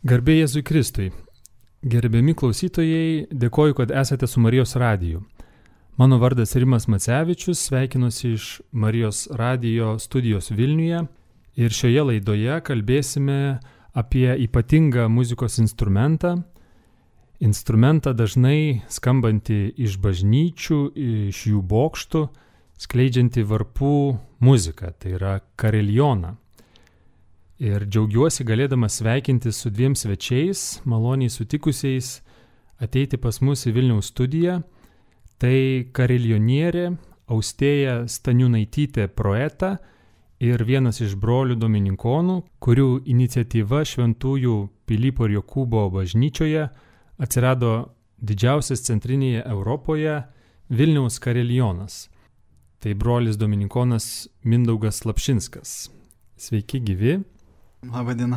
Garbė Jėzui Kristui. Gerbiami klausytojai, dėkoju, kad esate su Marijos radiju. Mano vardas Rimas Macevičius, sveikinuosi iš Marijos radijo studijos Vilniuje ir šioje laidoje kalbėsime apie ypatingą muzikos instrumentą. Instrumentą dažnai skambantį iš bažnyčių, iš jų bokštų, skleidžiantį varpų muziką, tai yra kariljoną. Ir džiaugiuosi galėdamas sveikinti su dviem svečiais, maloniai sutikusiais ateiti pas mus į Vilniaus studiją. Tai kariljonierė Austėja Staniūnaitytė Proeta ir vienas iš brolių dominikonų, kurių iniciatyva Šventųjų Pilypo ir Jokūbo bažnyčioje atsirado didžiausias centrinėje Europoje Vilniaus kariljonas. Tai brolis dominikonas Mindaugas Slapšinskas. Sveiki gyvi. Labadiena.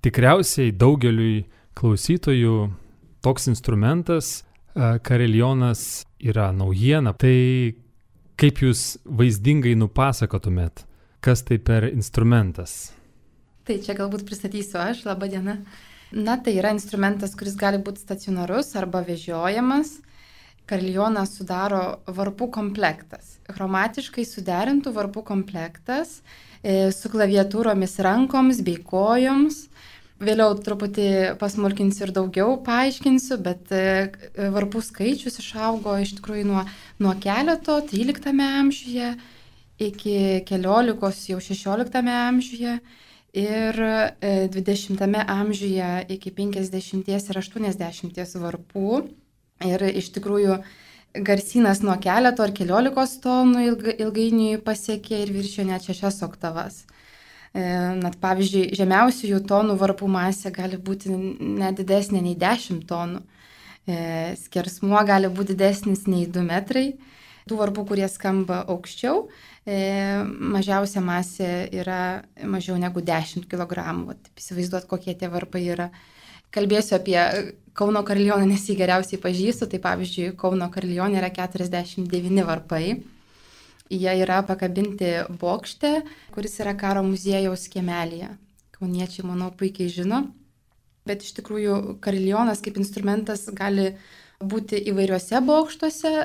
Tikriausiai daugeliui klausytojų toks instrumentas, kariljonas, yra naujiena. Tai kaip jūs vaizdingai nupasakotumėt, kas tai per instrumentas? Tai čia galbūt pristatysiu aš. Labadiena. Tai yra instrumentas, kuris gali būti stacionarus arba vežiojamas. Kariljoną sudaro varpų komplektas. Chromatiškai suderintų varpų komplektas su klaviatūromis rankoms bei kojoms. Vėliau truputį pasmulkinsiu ir daugiau paaiškinsiu, bet varpų skaičius išaugo iš tikrųjų nuo keleto 13 amžiuje iki keliolikos jau 16 amžiuje ir 20 amžiuje iki 50 ir 80 varpų. Ir iš tikrųjų garsynas nuo keleto ar keliolikos tonų ilgainiui pasiekė ir viršijo net 6 oktavas. Pavyzdžiui, žemiausiųjų tonų varpų masė gali būti net didesnė nei 10 tonų. Skersmuo gali būti didesnis nei 2 metrai. Tų varpų, kurie skamba aukščiau, mažiausia masė yra mažiau negu 10 kg. Įsivaizduot, kokie tie varpai yra. Kalbėsiu apie Kauno kariljoną, nes jį geriausiai pažįstu. Tai pavyzdžiui, Kauno kariljonė yra 49 varpai. Jie yra pakabinti bokšte, kuris yra karo muziejaus kiemelyje. Kauniečiai, manau, puikiai žino. Bet iš tikrųjų kariljonas kaip instrumentas gali būti įvairiuose bokštuose.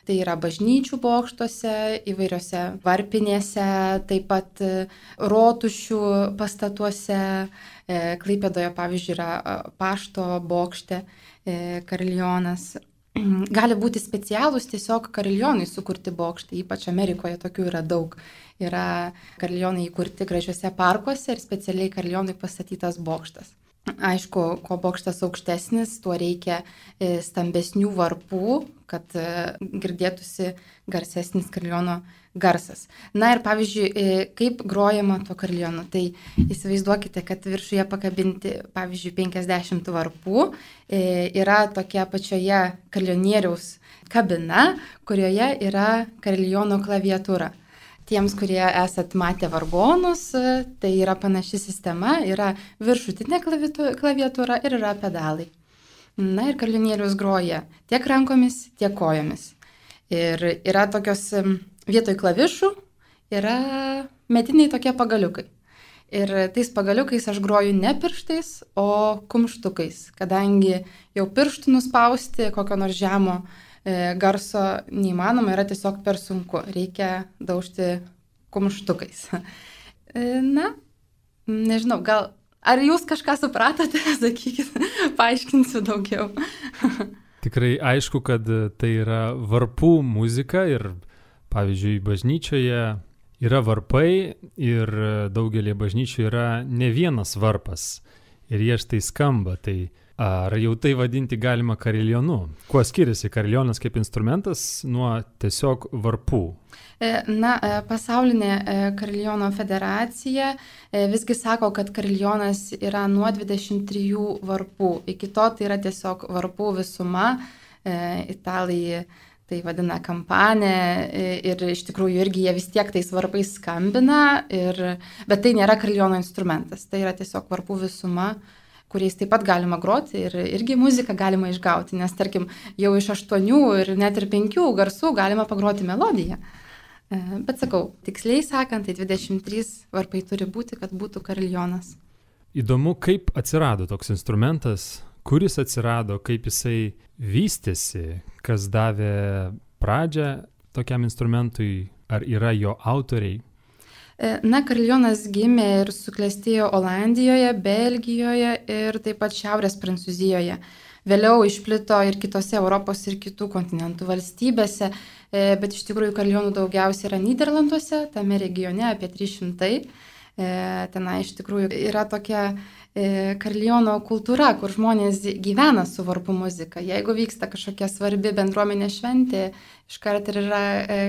Tai yra bažnyčių bokštuose, įvairiuose varpinėse, taip pat rotušių pastatuose. Klaipėdoje, pavyzdžiui, yra pašto bokšte kariljonas. Gali būti specialūs tiesiog kariljonai sukurti bokštai, ypač Amerikoje tokių yra daug. Yra kariljonai įkurti gražiuose parkuose ir specialiai kariljonai pastatytas bokštas. Aišku, kuo bokštas aukštesnis, tuo reikia stambesnių varpų, kad girdėtųsi garsesnis kariljono garsas. Ir pavyzdžiui, kaip grojama to kariljonu. Tai įsivaizduokite, kad viršuje pakabinti, pavyzdžiui, 50 varpų, yra tokia pačioje kariljonieriaus kabina, kurioje yra kariljono klaviatūra. Tiems, kurie esat matę vargonus, tai yra panaši sistema, yra viršutinė klaviatūra ir yra pedalai. Ir kariljonierius groja tiek rankomis, tiek kojomis. Ir yra tokios vietoj klavišų, yra mediniai tokie pagaliukai. Ir tais pagaliukais aš groju ne pirštais, o kumštukais, kadangi jau pirštų nuspausti kokio nors žemo garso neįmanoma, yra tiesiog per sunku. Reikia daužti kumštukais. Nežinau, gal ar jūs kažką supratote, sakykit, paaiškinsiu daugiau. Tikrai aišku, kad tai yra varpų muzika ir, pavyzdžiui, bažnyčioje yra varpai ir daugelį bažnyčių yra ne vienas varpas ir jie štai skamba. Tai ar jau tai vadinti galima kariljonu? Kuo skiriasi kariljonas kaip instrumentas nuo tiesiog varpų? Pasaulinė kariljono federacija visgi sako, kad kariljonas yra nuo 23 varpų. Iki to tai yra tiesiog varpų visuma. Italai tai vadina kampanė ir iš tikrųjų irgi jie vis tiek tais varpais skambina, bet tai nėra kariljono instrumentas. Tai yra tiesiog varpų visuma, kuriais taip pat galima groti ir irgi muziką galima išgauti, nes tarkim jau iš 8 ir net ir 5 garsų galima pagroti melodiją. Bet sakau, tiksliai sakant, tai 23 varpai turi būti, kad būtų kariljonas. įdomu, kaip atsirado toks instrumentas, kuris atsirado, kaip jisai vystėsi, kas davė pradžią tokiam instrumentui, ar yra jo autoriai. Na, kariljonas gimė ir suklestėjo Olandijoje, Belgijoje ir taip pat Šiaurės Prancūzijoje. Vėliau išplito ir kitose Europos ir kitų kontinentų valstybėse, bet iš tikrųjų kariljonų daugiausiai yra Nyderlanduose, tame regione apie 300. Tenai iš tikrųjų yra tokia kariljono kultūra, kur žmonės gyvena su varpų muzika. Jeigu vyksta kažkokia svarbi bendruomenė šventė, iškart ir yra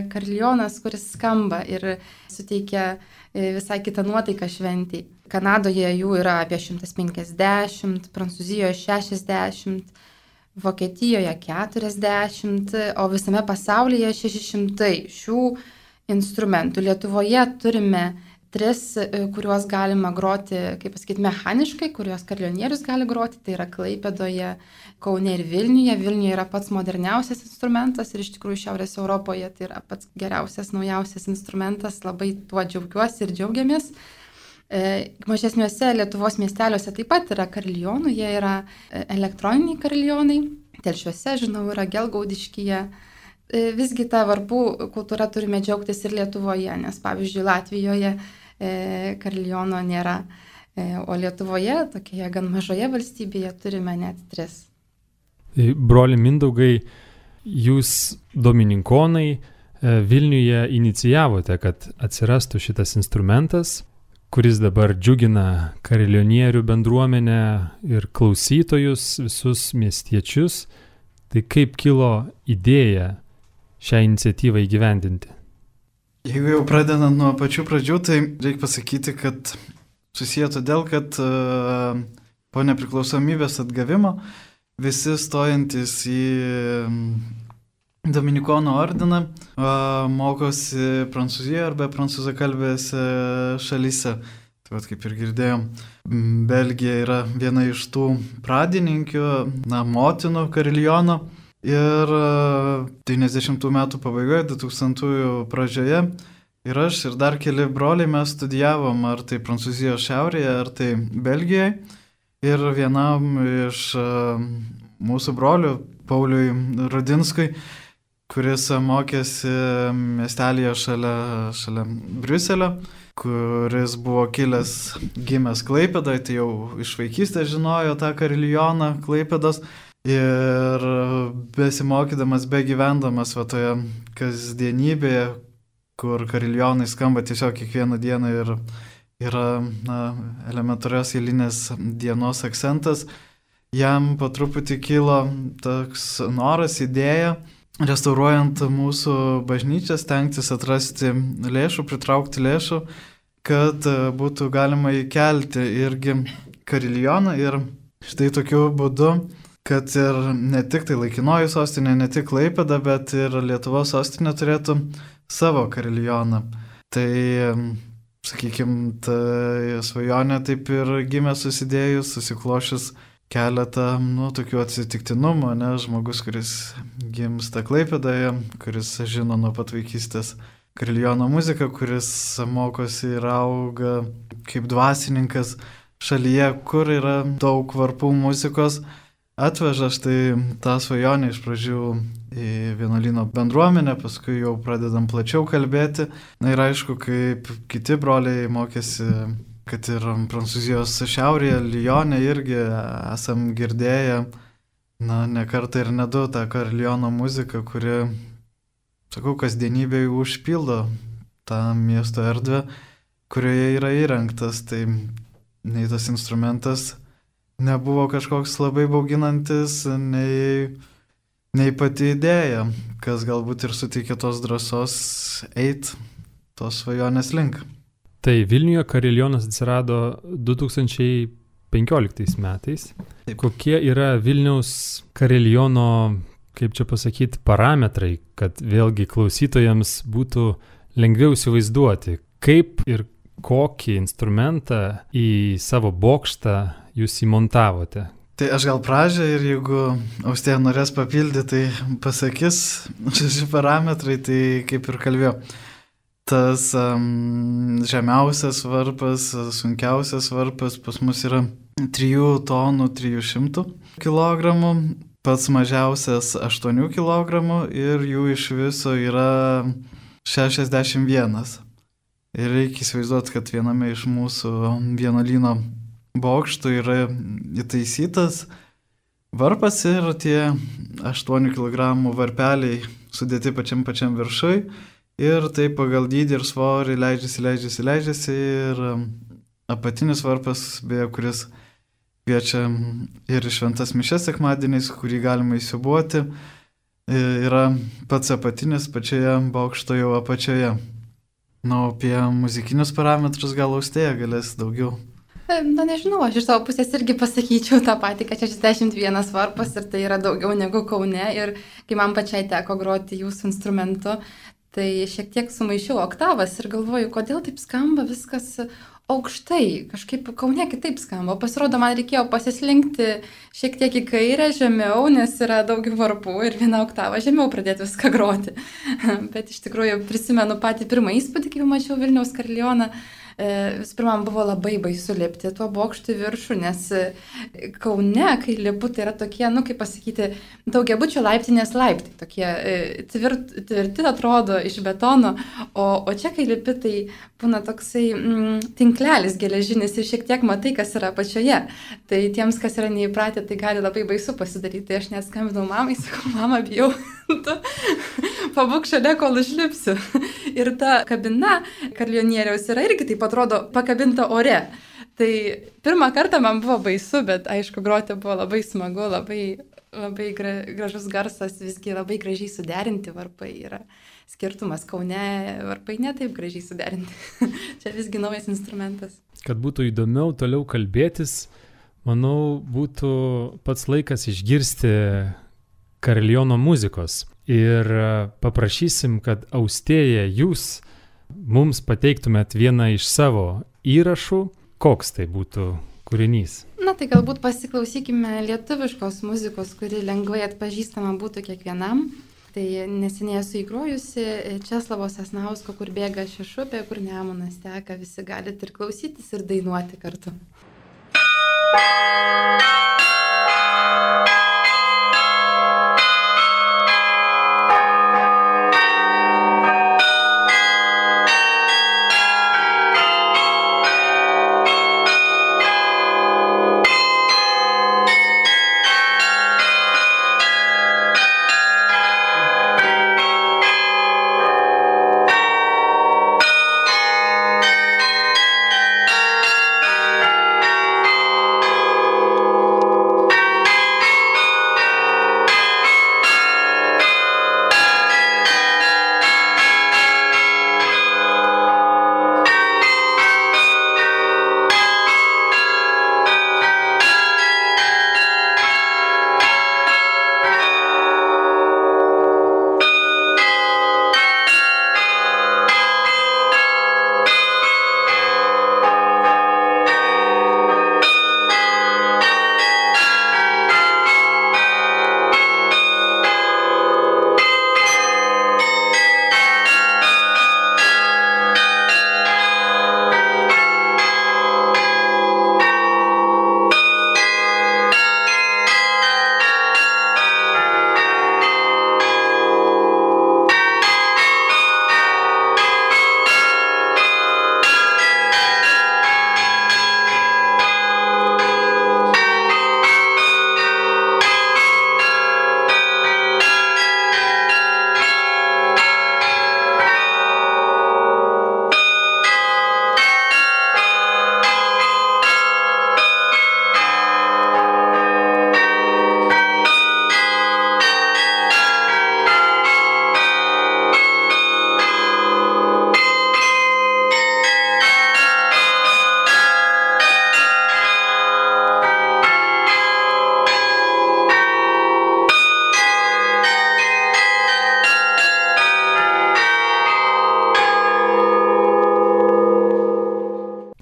kariljonas, kuris skamba ir suteikia visai kitą nuotaiką šventį. Kanadoje jų yra apie 150, Prancūzijoje 60, Vokietijoje 40, o visame pasaulyje 600 šių instrumentų. Lietuvoje turime 3, kuriuos galima groti, kaip pasakyti, mechaniškai, kuriuos kariljonierius gali groti, tai yra Klaipėdoje, Kaune ir Vilniuje. Vilniuje yra pats moderniausias instrumentas ir iš tikrųjų Šiaurės Europoje tai yra pats geriausias, naujausias instrumentas, labai tuo džiaugiuosi ir džiaugiamės. Mažesniuose Lietuvos miesteliuose taip pat yra kariljonų, jie yra elektroniniai kariljonai, Telšiuose, žinau, yra Gelgaudiškyje. Visgi tą varpų kultūrą turime džiaugtis ir Lietuvoje, nes pavyzdžiui Latvijoje kariljono nėra, o Lietuvoje, tokioje gan mažoje valstybėje, turime net 3. Broli Mindaugai, jūs domininkonai Vilniuje inicijavote, kad atsirastų šitas instrumentas, kuris dabar džiugina kariljonierių bendruomenę ir klausytojus, visus miestiečius. Tai kaip kilo idėja šią iniciatyvą įgyvendinti? Jeigu jau pradedant nuo pačių pradžių, tai reikia pasakyti, kad susiję todėl, kad po nepriklausomybės atgavimo visi stojantis į Dominikonų ordiną mokosi Prancūzijoje arba prancūzakalbėse šalyse. Tai vat, kaip ir girdėjom, Belgija yra viena iš tų pradininkių, motinų kariljono. Ir 90 metų pabaigoje, 2000-ųjų pradžioje ir aš ir dar keli broliai mes studijavom ar tai Prancūzijos šiaurėje, ar tai Belgijoje. Ir vienam iš mūsų brolių, Pauliui Rudinskui, kuris mokėsi miestelėje šalia Briuselio, kuris buvo gimęs Klaipėdoje, tai jau iš vaikystės žinojo tą kariljoną Klaipėdos. Ir besimokydamas, begyvendamas toje kasdienybėje, kur kariljonai skamba tiesiog kiekvieną dieną ir yra elementarios eilinės dienos akcentas, jam po truputį kilo toks noras, idėja, restauruojant mūsų bažnyčią, stengtis atrasti lėšų, pritraukti lėšų, kad būtų galima įkelti irgi kariljoną. Ir štai tokiu būdu, kad ir ne tik tai laikinoji sostinė, ne tik Klaipėda, bet ir Lietuvos sostinė turėtų savo kariljoną. Tai, sakykime, ta svajonė taip ir gimė susidėjus, susiklošius keletą, tokių atsitiktinumų, žmogus, kuris gimsta Klaipėdoje, kuris žino nuo pat vaikystės kariljono muziką, kuris mokosi ir auga kaip dvasininkas šalyje, kur yra daug varpų muzikos, atveža štai tą svajonę iš pradžių į vienuolyno bendruomenę, paskui jau pradedam plačiau kalbėti. Na ir aišku, kaip kiti broliai mokėsi, kad ir Prancūzijos šiaurėje, Lyone irgi esam girdėję, ne kartą ir ne du tą kariljono muziką, kuri, sakau, kasdienybėje užpildo tą miesto erdvę, kurioje yra įrengtas. Tai nei tas instrumentas nebuvo kažkoks labai bauginantis, nei pati idėja, kas galbūt ir suteikė tos drąsos eit tos svajonės link. Tai Vilniuje kariljonas atsirado 2015 metais. Taip. Kokie yra Vilniaus kariljono, kaip čia pasakyti, parametrai, kad vėlgi klausytojams būtų lengviau įsivaizduoti, kaip ir kokį instrumentą į savo bokštą jūs įmontavote? Tai aš gal pradžią ir jeigu Austėja norės papildyti, tai pasakys šeši parametrai, tai kaip ir kalbėjau. tas žemiausias varpas, sunkiausias varpas pas mus yra 3 tonų 300 kg, pats mažiausias 8 kg ir jų iš viso yra 61. Ir reikia įsivaizduoti, kad viename iš mūsų vienuolyno bokštų yra įtaisytas varpas ir tie 8 kg varpeliai sudėti pačiam viršui ir taip pagal dydį ir svorį leidžiasi ir apatinis varpas, beje, kuris kviečia ir šventas mišias sekmadieniais, kurį galima įsiubuoti, yra pats apatinis pačioje bokšto jau apačioje. Na, apie muzikinius parametrus gal Austėja galės daugiau. Na, nežinau, aš iš savo pusės irgi pasakyčiau tą patį, kad 61 varpas ir tai yra daugiau negu Kaune. Ir kai man pačiai teko groti jūsų instrumentu, tai šiek tiek sumaišiau oktavas ir galvoju, kodėl taip skamba viskas aukštai, kažkaip Kaune kitaip skamba. Pasirodo, man reikėjo pasislinkti šiek tiek į kairę, žemiau, nes yra daugiau varpų ir vieną oktavą žemiau pradėti viską groti. Bet iš tikrųjų prisimenu patį pirmą įspūdį, kai mačiau Vilniaus karilioną. Visų pirma, man buvo labai baisu lipti tuo bokštų viršų, nes Kaune, kai lipu, tai yra tokie, kaip pasakyti, daugiabučio laiptinės laiptai, tokie tvirti atrodo iš betono, o čia, kai lipi, tai būna toksai tinklelis geležinis ir šiek tiek matai, kas yra apačioje. Tai tiems, kas yra neįpratę, tai gali labai baisu pasidaryti. Tai aš net skambinau mamai, sakau, mama, bijau, tu pabūk šalia, kol užlipsiu. Ir ta kabina karalionieriaus yra irgi taip atrodo pakabinta ore. Tai pirmą kartą man buvo baisu, bet aišku, groti buvo labai smagu, labai gražus garsas, visgi labai gražiai suderinti varpai yra. Skirtumas Kaune varpai ne taip gražiai suderinti. Čia visgi naujas instrumentas. Kad būtų įdomiau toliau kalbėtis, manau, būtų pats laikas išgirsti kariliono muzikos. Ir paprašysim, kad Austėja jūs mums pateiktumėt vieną iš savo įrašų. Koks tai būtų kūrinys? Na tai galbūt pasiklausykime lietuviškos muzikos, kuri lengvai atpažįstama būtų kiekvienam. Tai neseniai esu įgrojusi Česlovo Sasnausko, kur bėga Šešupė, kur Nemunas teka, visi galite ir klausytis ir dainuoti kartu.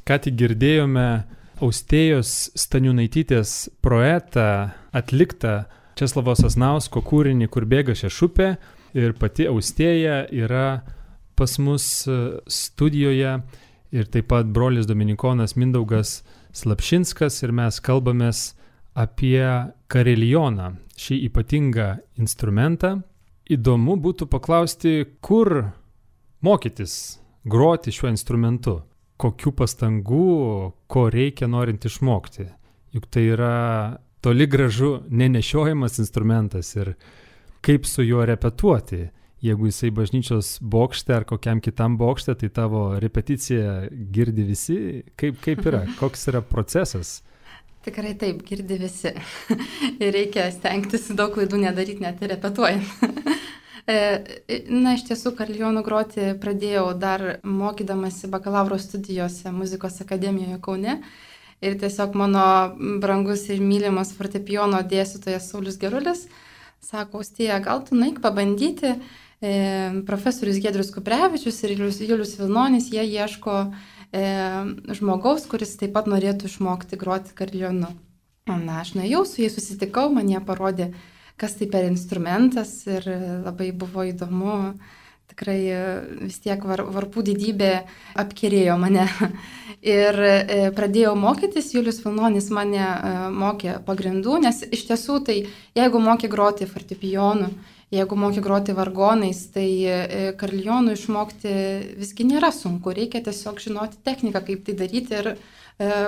Ką tik girdėjome Austėjos Staniūnaitytės projektą atliktą Česlovo Sasnausko kūrinį, kur bėga Šešupė, ir pati Austėja yra pas mus studijoje ir taip pat brolis dominikonas Mindaugas Slapšinskas ir mes kalbamės apie kariljoną, šį ypatingą instrumentą. Įdomu būtų paklausti, kur mokytis groti šiuo instrumentu, kokių pastangų, ko reikia norint išmokti. Juk tai yra toli gražu nenešiojamas instrumentas ir kaip su juo repetuoti. Jeigu jisai bažnyčios bokšte ar kokiam kitam bokšte, tai tavo repeticiją girdi visi. Kaip yra? Koks yra procesas? Tikrai taip, girdi visi. Ir reikia stengtis daug klaidų nedaryti, net ir repetuojant. Na, iš tiesų, kariljoną groti pradėjau dar mokydamasi bakalauro studijose muzikos akademijoje Kaune. Ir tiesiog mano brangus ir mylimas fortepijono dėstytojas Saulius Gerulis sako, Austėja, gal tu nueik pabandyti. Profesorius Giedrius Kuprevičius ir Julius Vilnonis, jie ieško žmogaus, kuris taip pat norėtų išmokti groti kariljonu. Na, aš nuėjau, su jais susitikau, man jie parodė, kas tai per instrumentas ir labai buvo įdomu. Tikrai vis tiek varpų didybė apkerėjo mane. Ir pradėjau mokytis, Julius Vilnonis mane mokė pagrindų, nes iš tiesų tai jeigu mokė groti fortepijonu, jeigu mokė groti vargonais, tai kariljonų išmokti visgi nėra sunku, reikia tiesiog žinoti techniką, kaip tai daryti ir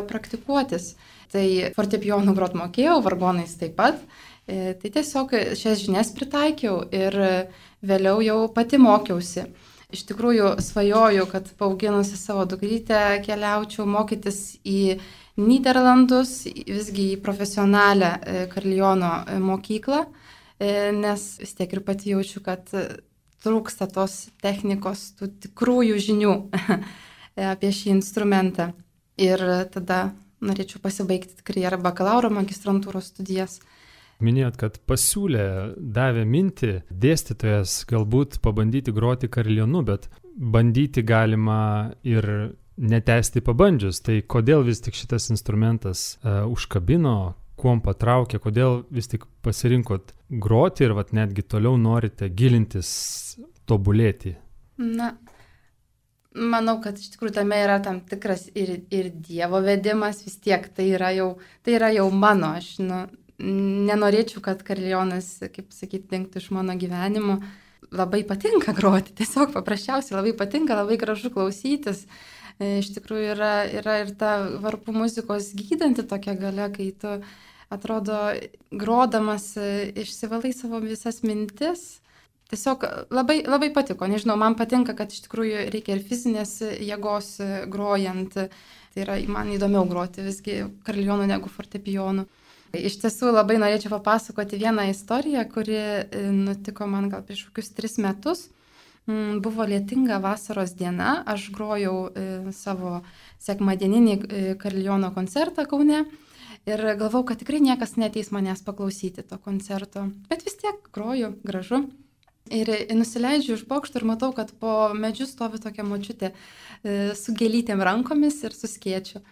praktikuotis. Tai fortepijonu grot mokėjau, vargonais taip pat, tai tiesiog šias žinias pritaikiau ir vėliau jau pati mokiausi. Iš tikrųjų svajoju, kad paauginusi savo dukrytę keliaučiau mokytis į Nyderlandus, visgi į profesionalią kariljono mokyklą, nes vis tiek ir pati jaučiu, kad trūksta tos technikos, tų tikrųjų žinių apie šį instrumentą. Ir tada norėčiau pasibaigti tikrai ar bakalauro magistrantūros studijas. Minėjot, kad pasiūlė, davė mintį dėstytojas galbūt pabandyti groti kariljonu, bet bandyti galima ir netęsti pabandžius. Tai kodėl vis tik šitas instrumentas užkabino, kuom patraukė, kodėl vis tik pasirinkot groti ir netgi toliau norite gilintis, tobulėti? Na, manau, kad iš tikrųjų tame yra tam tikras ir Dievo vedimas, vis tiek tai yra jau mano, aš nenorėčiau, kad kariljonas, kaip sakyti, dingtų iš mano gyvenimo. Labai patinka groti, tiesiog paprasčiausiai labai patinka, labai gražu klausytis. Iš tikrųjų yra ir ta varpų muzikos gydanti tokia galia, kai tu atrodo grodamas išsivalai savo visas mintis. Tiesiog labai, labai patiko, nežinau, man patinka, kad iš tikrųjų reikia ir fizinės jėgos grojant. Tai yra man įdomiau groti visgi kariljonu negu fortepijonu. Iš tiesų labai norėčiau papasakoti vieną istoriją, kuri nutiko man gal prieš kokius 3 metus. Buvo lietinga vasaros diena, aš grojau savo sekmadieninį kariljono koncertą Kaune ir galvau, kad tikrai niekas neateis manęs paklausyti to koncerto. Bet vis tiek groju, gražu. Ir nusileidžiu iš bokšto ir matau, kad po medžiu stovi tokia močiutė su gėlytėm rankomis ir su skėčiu.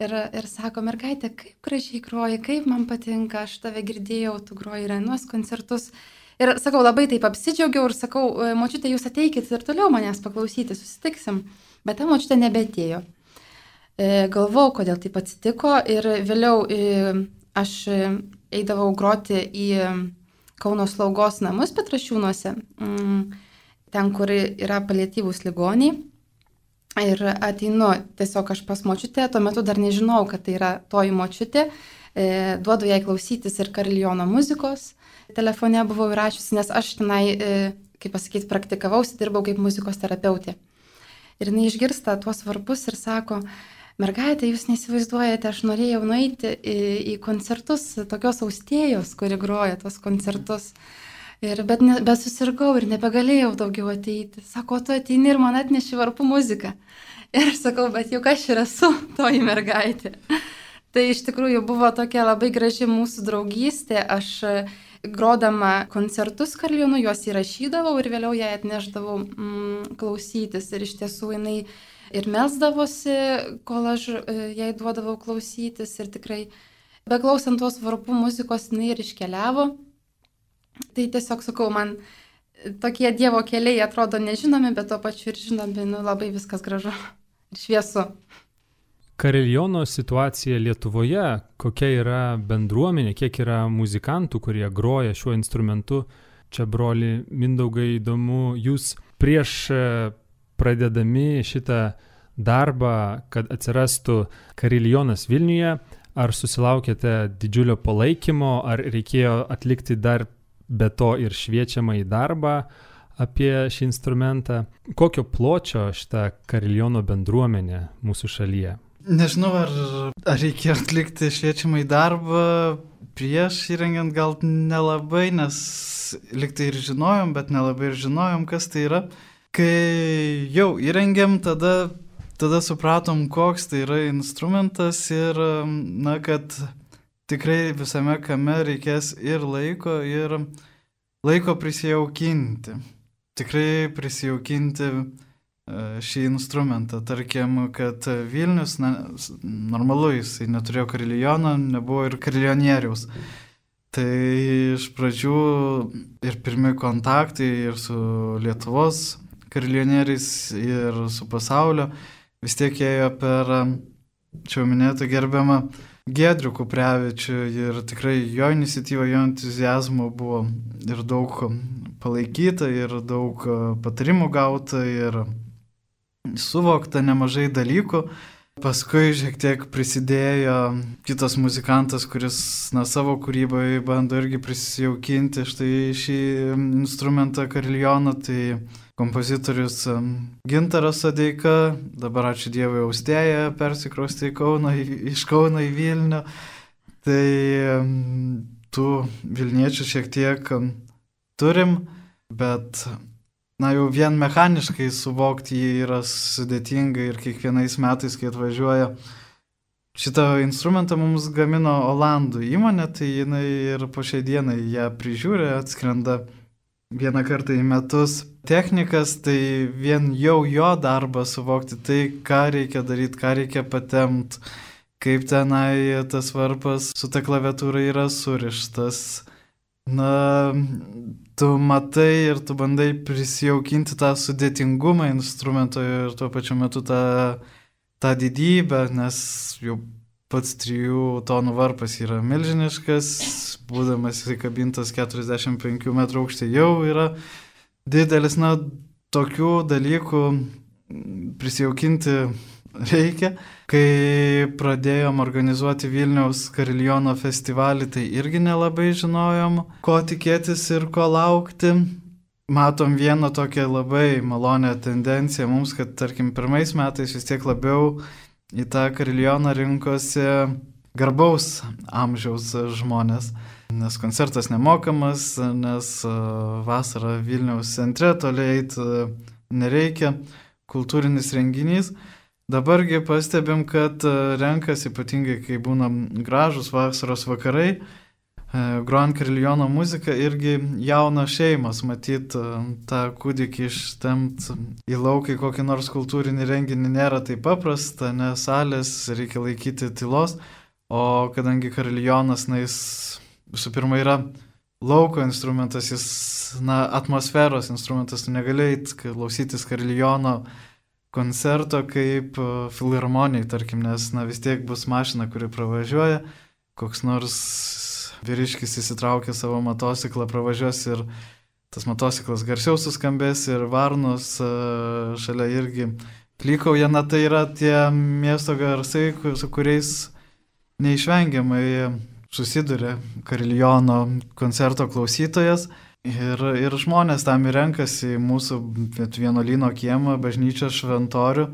Ir sako, mergaitė, kaip gražiai groji, kaip man patinka, aš tave girdėjau, tu groji ir anuos koncertus. Ir sakau, labai taip apsidžiaugiau ir sakau, močiutė, jūs ateikit ir toliau manęs paklausyti, susitiksim. Bet ta močiutė nebeatėjo. Galvau, kodėl taip atsitiko ir vėliau aš eidavau groti į Kauno slaugos namus Petrašiūnuose, ten, kur yra paliatyvūs ligoniai. Ir ateinu tiesiog aš pas močiutę, tuo metu dar nežinau, kad tai yra toji močiutė, duodu jai klausytis ir kariljono muzikos. Telefone buvau įrašiusi, nes aš tenai, kaip pasakyti, praktikavausi, dirbau kaip muzikos terapeutė. Ir jinai išgirsta tuos varpus ir sako, mergaitė, jūs neįsivaizduojate, aš norėjau nueiti į koncertus tokios Austėjos, kuri groja tos koncertus. Bet susirgau ir nebegalėjau daugiau ateiti. Sako, tu ateini ir man atneši varpų muziką. Ir aš sakau, bet juk aš ir esu toji mergaitė. Tai iš tikrųjų buvo tokia labai graži mūsų draugystė. Aš grodama koncertus kariljonu juos įrašydavau ir vėliau ją atneždavau klausytis. Ir iš tiesų jinai ir melsdavosi, kol aš jai duodavau klausytis. Ir tikrai beklausant tos varpų muzikos jinai ir iškeliavo. Tai tiesiog sakau, man tokie Dievo keliai atrodo nežinomi, bet tuo pačiu ir žinomi, labai viskas gražu ir šviesu. Kariljono situacija Lietuvoje, kokia yra bendruomenė, kiek yra muzikantų, kurie groja šiuo instrumentu. Čia, broli Mindaugai, įdomu, jūs prieš pradedami šitą darbą, kad atsirastų kariljonas Vilniuje, ar susilaukėte didžiulio palaikymo, ar reikėjo atlikti dar be to ir šviečiamą į darbą apie šį instrumentą? Kokio pločio šitą kariljono bendruomenė mūsų šalyje? Nežinau, ar reikėjo atlikti šviečiamą į darbą prieš įrengiant, gal nelabai, nes liktai ir žinojom, bet nelabai ir žinojom, kas tai yra. Kai jau įrengiam, tada supratom, koks tai yra instrumentas ir, kad tikrai visame kame reikės ir laiko prisijaukinti. Tikrai prisijaukinti šį instrumentą. Tarkim, kad Vilnius, normalu, jisai neturėjo kariljono, nebuvo ir karilionieriaus. Tai iš pradžių ir pirmi kontaktai ir su Lietuvos karilionieriais, ir su pasaulio vis tiek ėjo per čia minėtą gerbiamą Giedrių Kuprevičių ir tikrai jo iniciatyva, jo entuziazmo buvo ir daug palaikyta, ir daug patarimų gauta, ir suvokta nemažai dalykų. Paskui šiek tiek prisidėjo kitas muzikantas, kuris savo kūryboje bando irgi prisijaukinti štai šį instrumentą kariljoną, tai kompozitorius Gintaras Sodeika, dabar ačiū Dievui Austėja, persikraustė iš Kauno į Vilnių. Tai tų Vilniečių šiek tiek turim, bet jau vien mechaniškai suvokti jį yra sudėtinga ir kiekvienais metais, kai atvažiuoja. Šitą instrumentą mums gamino Olandų įmonė, tai jinai ir po šiai dienai ją prižiūri, atskrenda vieną kartą į metus. Technikas, tai vien jau jo darbą suvokti tai, ką reikia daryti, ką reikia patempt, kaip tenai tas varpas su ta klaviatūra yra surištas. Tu matai ir tu bandai prisijaukinti tą sudėtingumą instrumento ir tuo pačiu metu tą didybę, nes jau pats 3 tonų varpas yra milžiniškas, būdamas įkabintas 45 metrų aukštį jau yra didelis, tokių dalykų prisijaukinti reikia. Kai pradėjom organizuoti Vilniaus kariljono festivalį, tai irgi nelabai žinojom, ko tikėtis ir ko laukti. Matom vieną tokią labai malonę tendenciją mums, kad tarkim pirmais metais vis tiek labiau į tą kariljoną rinkosi garbaus amžiaus žmonės. Nes koncertas nemokamas, nes vasarą Vilniaus centre toli eiti nereikia, kultūrinis renginys. Dabargi pastebim, kad renkas ypatingai, kai būna gražus vasaros vakarai, grojant kariljono muziką, irgi jaunos šeimos, matyt, tą kūdikį ištempt į lauką į kokį nors kultūrinį renginį nėra taip paprasta, nes salės reikia laikyti tylos, o kadangi kariljonas, jis visų pirma yra lauko instrumentas, jis atmosferos instrumentas, tu negali eit klausytis kariljono koncerto kaip filharmonijai, tarkim, nes vis tiek bus mašina, kuri pravažiuoja, koks nors vyriškis įsitraukia savo motociklą, pravažiuos ir tas motociklas garsiau suskambės ir varnos šalia irgi klykauja. Tai yra tie miesto garsai, su kuriais neišvengiamai susiduria kariljono koncerto klausytojas. Ir žmonės tam ir renkasi mūsų vienuolyno kiemą, bažnyčios šventorių,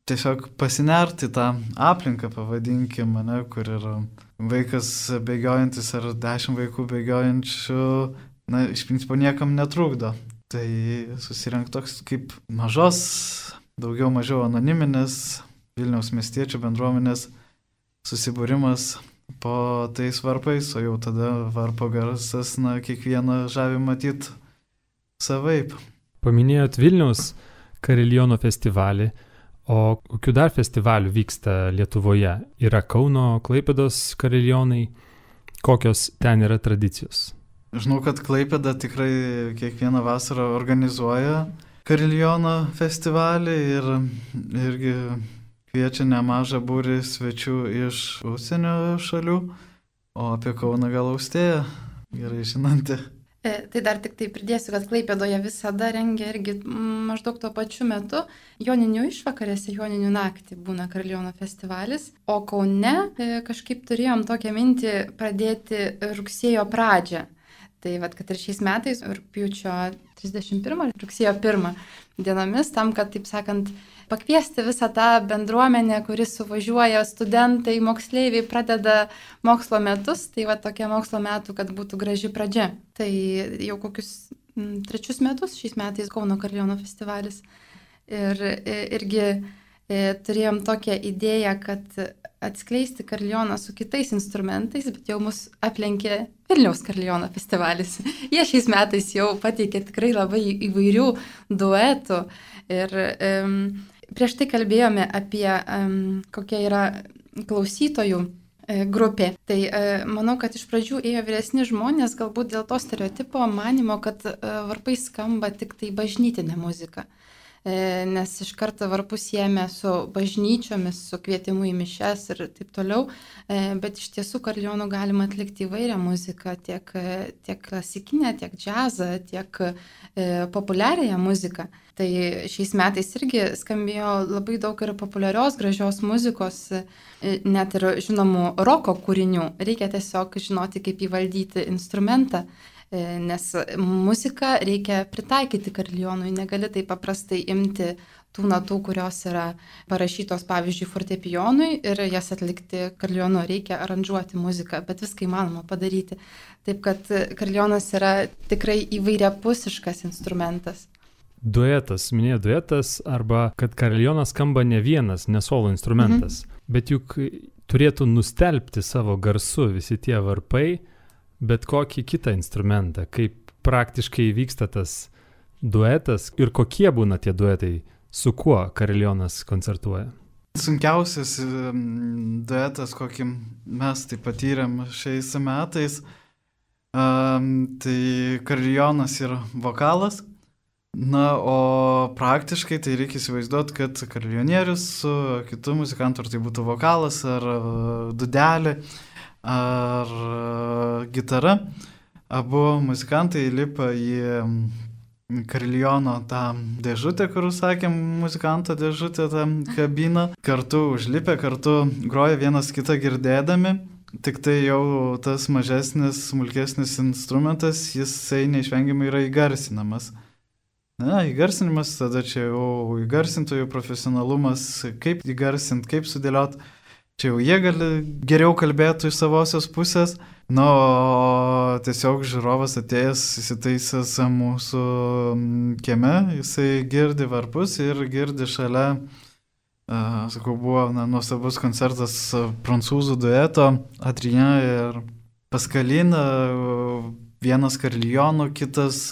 tiesiog pasinerti tą aplinką, pavadinkim, kur yra vaikas bėgiojantis ar 10 vaikų bėgiojančių, iš principo niekam netrukdo. Tai susirenk toks kaip mažos, daugiau mažiau anoniminės Vilniaus miestiečių bendruomenės susibūrimas po tais varpais, o jau tada varpo garsas, kiekvieną žavi matyt savaip. Paminėjot Vilniaus kariljono festivalį, o kokių dar festivalių vyksta Lietuvoje? Yra Kauno, Klaipėdos kariljonai, kokios ten yra tradicijos? Žinau, kad Klaipėda tikrai kiekvieną vasarą organizuoja Kariljono festivalį ir irgi kviečia nemažą būrį svečių iš užsienio šalių, o apie Kauną gal Austėja gerai žinanti. Tai dar tik tai pridėsiu, kad Klaipėdoje visada rengia irgi maždaug tuo pačiu metu Joninių išvakarėse, Joninių naktį būna Kariljono festivalis, o Kaune kažkaip turėjom tokią mintį pradėti rugsėjo pradžią. Tai vat, kad ir šiais metais, rugpjūčio 31, rugsėjo 1 dienomis, tam, kad, taip sakant, pakviesti visą tą bendruomenę, kuris suvažiuoja, studentai, moksleiviai pradeda mokslo metus, tai va tokie mokslo metų, kad būtų graži pradžia. Tai jau kokius 3 metus šiais metais Kauno Kariljono festivalis. Ir irgi turėjom tokią idėją, kad atskleisti Kariljoną su kitais instrumentais, bet jau mus aplenkė Vilniaus Kariljono festivalis. Jie šiais metais jau pateikė tikrai labai įvairių duetų. Ir prieš tai kalbėjome apie kokia yra klausytojų grupė. Tai manau, kad iš pradžių ėjo vyresni žmonės, galbūt dėl to stereotipo manimo, kad varpai skamba tik tai bažnytinė muzika. Nes iš karto varpus siejame su bažnyčiomis, su kvietimu į mišes ir taip toliau, bet iš tiesų Kariljonų galima atlikti įvairią muziką, tiek klasikinę, tiek džiazą, tiek populiariąją muziką. Tai šiais metais irgi skambėjo labai daug ir populiarios, gražios muzikos, net ir žinomų roko kūrinių. Reikia tiesiog žinoti, kaip įvaldyti instrumentą. Nes muziką reikia pritaikyti Kariljonui, negali taip paprastai imti tų natų, kurios yra parašytos, pavyzdžiui, fortepijonui ir jas atlikti Kariljonu, reikia aranžuoti muziką, bet viską įmanoma padaryti. Taip kad Kariljonas yra tikrai įvairiapusiškas instrumentas. Duetas, minėjo duetas, arba kad Kariljonas skamba ne vienas, ne solo instrumentas, bet juk turėtų nustelbti savo garsu visi tie varpai, bet kokį kitą instrumentą, kaip praktiškai vyksta tas duetas ir kokie būna tie duetai, su kuo Kariljonas koncertuoja. Sunkiausias duetas, kokį mes tai patyrėm šiais metais, tai Kariljonas ir vokalas. Na, o praktiškai tai reikia įsivaizduoti, kad kariljonierius su kitu muzikantu, ar tai būtų vokalas, ar dudelė, ar gitara, abu muzikantai lipa į Kariljono tą dėžutę, kur sakėm, muzikanto dėžutę, tą kabiną, kartu užlipę, kartu groja vienas kitą girdėdami, tik tai jau tas mažesnis, smulkesnis instrumentas, jisai neišvengiamai yra įgarsinamas. Na, įgarsinimas, tada čia jau įgarsintojų profesionalumas, kaip įgarsinti, kaip sudėlioti. Čia jau jie gali geriau kalbėti iš savosios pusės, o tiesiog žiūrovas atėjęs, įsitaisęs mūsų kieme, jisai girdi varpus ir girdi šalia, sakau, buvo nuostabus koncertas prancūzų dueto Adrien ir Pascaline, vienas Kariljonų, kitas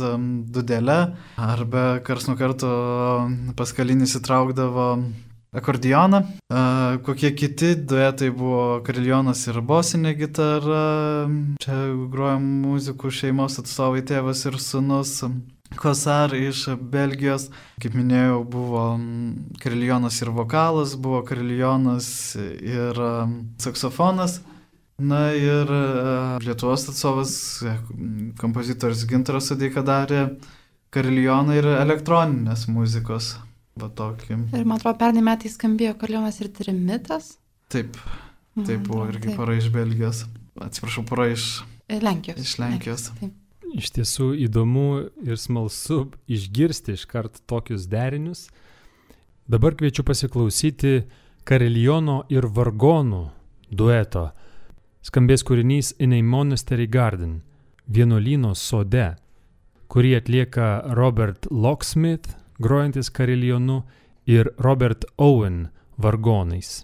dudelė, arba karts nuo karto Pascaline įsitraukdavo akordeoną. Kokie kiti duetai buvo Kariljonas ir bosinė gitara, čia grojam muzikų šeimos atstovai, tėvas ir sūnus. Kosar iš Belgijos, kaip minėjau, buvo Kariljonas ir vokalas, buvo Kariljonas ir saksofonas. Na ir Lietuvos atstovas, kompozitorius Gintaras Sodeika darė Kariljoną ir elektroninės muzikos. Ir man atrodo, pernai metais skambėjo Kariljonas ir trimitas. Taip buvo irgi pora iš Belgijos. Atsiprašau, pora iš Lenkijos. Iš Lenkijos. Iš tiesų įdomu ir smalsu išgirsti iškart tokius derinius. Dabar kviečiu pasiklausyti Kariljono ir vargonų dueto. Skambės kūrinys In a Monastery Garden, vienuolyno sode, kurį atlieka Robert Locksmith, grojantis Kariljonu, ir Robert Owen vargonais.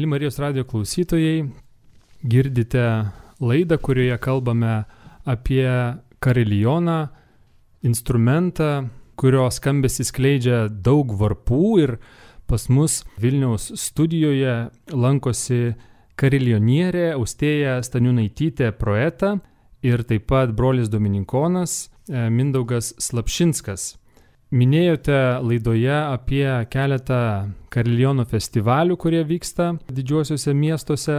Mėly Marijos radijo klausytojai, girdite laidą, kurioje kalbame apie karilioną, instrumentą, kurio skambesį skleidžia daug varpų, ir pas mus Vilniaus studijoje lankosi karilionienė Austėja Staniūnaitytė Proeta ir taip pat brolis dominikonas Mindaugas Slapšinskas. Minėjote laidoje apie keletą kariliono festivalių, kurie vyksta didžiuosiuose miestuose.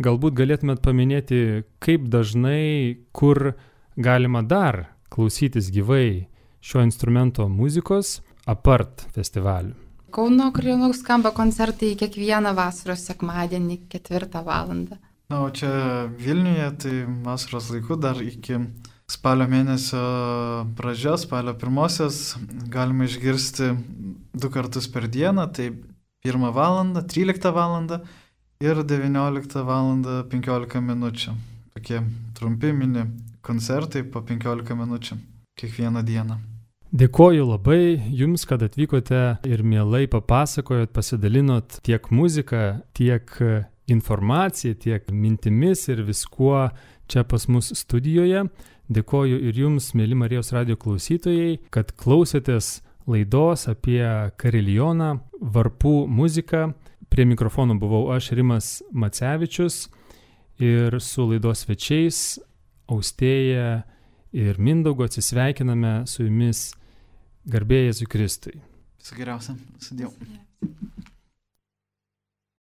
Galbūt galėtumėt paminėti, kaip dažnai, kur galima dar klausytis gyvai šio instrumento muzikos apart festivalių. Kauno karilionų skamba koncertai kiekvieną vasaros sekmadienį 4 valandą. Na, o čia Vilniuje, tai vasaros laiku dar iki spalio mėnesio pradžios, spalio 1-osios, galima išgirsti 2 kartus per dieną, tai 1 valandą, 13 valandą ir 19 valandą 15 minučių. Tokie trumpi mini koncertai po 15 minučių kiekvieną dieną. Dėkoju labai Jums, kad atvykote ir mielai papasakojot, pasidalinot tiek muziką, tiek informaciją, tiek mintimis ir viskuo čia pas mus studijoje. Dėkoju ir Jums, mėly Marijos radijo klausytojai, kad klausėtės laidos apie karilioną, varpų muziką. Prie mikrofono buvau aš, Rimas Macevičius, ir su laidos svečiais Austėja ir Mindaugu atsisveikiname su Jumis, garbė Jėzui Kristui. Viso geriausio. Sudėjau.